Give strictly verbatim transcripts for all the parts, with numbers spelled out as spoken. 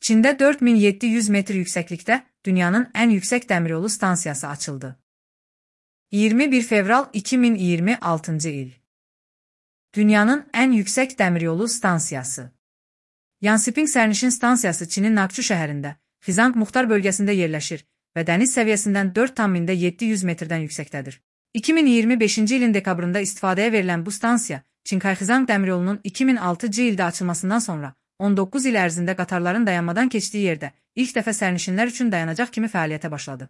Çində dörd min yeddi yüz metr yüksəklikdə dünyanın ən yüksək dəmiryolu stansiyası açıldı. iyirmi bir fevral iki min iyirmi altıncı il. Dünyanın ən yüksək dəmiryolu stansiyası. Yansping sərnişin stansiyası Çinin Naqçu şəhərində, Xizang Muxtar bölgəsində yerləşir və dəniz səviyyəsindən dörd tam mində yeddi yüz metrdən yüksəkdədir. iki min iyirmi beşinci ilin dekabrında istifadəyə verilən bu stansiya, Çinkay-Xizang dəmiryolunun iki min altıncı ildə açılmasından sonra on doqquz il ərzində qatarların dayanmadan keçdiyi yerdə ilk dəfə sərnişinlər üçün dayanacaq kimi fəaliyyətə başladı.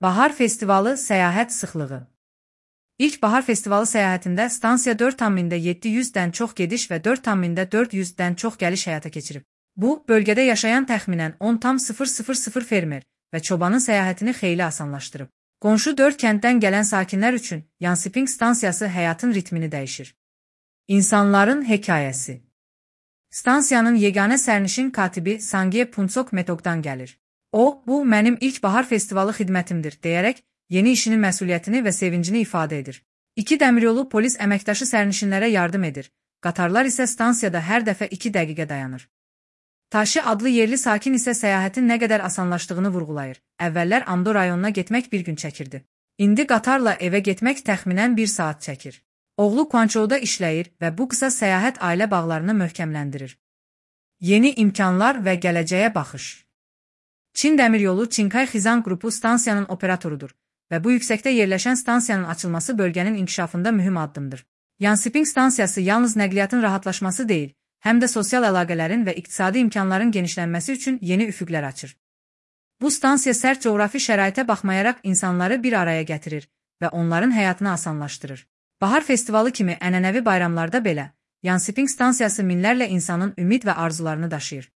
Bahar festivalı səyahət sıxlığı. İlk bahar festivalı səyahətində stansiya dörd tam mində yeddi yüzdən çox gediş və dörd tam mində dörd yüzdən çox gəliş həyata keçirib. Bu, bölgədə yaşayan təxminən on tam sıfır sıfır sıfır fermer və çobanın səyahətini xeyli asanlaşdırıb. Qonşu dörd kənddən gələn sakinlər üçün Yansping stansiyası həyatın ritmini dəyişir. İnsanların hekayəsi. Stansiyanın yeganə sərnişin katibi Sangie Punsok Metokdan gəlir. O, bu mənim ilk bahar festivalı xidmətimdir deyərək yeni işinin məsuliyyətini və sevincini ifadə edir. İki dəmiryolu polis əməkdaşı sərnişinlərə yardım edir. Qatarlar isə stansiyada hər dəfə iki dəqiqə dayanır. Taşı adlı yerli sakin isə səyahətin nə qədər asanlaşdığını vurğulayır. Əvvəllər Amdo rayonuna getmək bir gün çəkirdi. İndi qatarla evə getmək təxminən bir saat çəkir. Oğlu Quanzhouda işləyir və bu qısa səyahət ailə bağlarını möhkəmləndirir. Yeni imkanlar və gələcəyə baxış. Çin Dəmiryolu Çinkay-Xizang qrupu stansiyanın operatorudur və bu yüksəkdə yerləşən stansiyanın açılması bölgənin inkişafında mühüm addımdır. Yansping stansiyası yalnız nəqliyyatın rahatlaşması deyil, həm də sosial əlaqələrin və iqtisadi imkanların genişlənməsi üçün yeni üfüqlər açır. Bu stansiya sərt coğrafi şəraitə baxmayaraq insanları bir araya gətirir və onların həyatını asanlaşdırır. Bahar festivalı kimi ənənəvi bayramlarda belə, Yansping stansiyası minlərlə insanın ümid və arzularını daşıyır.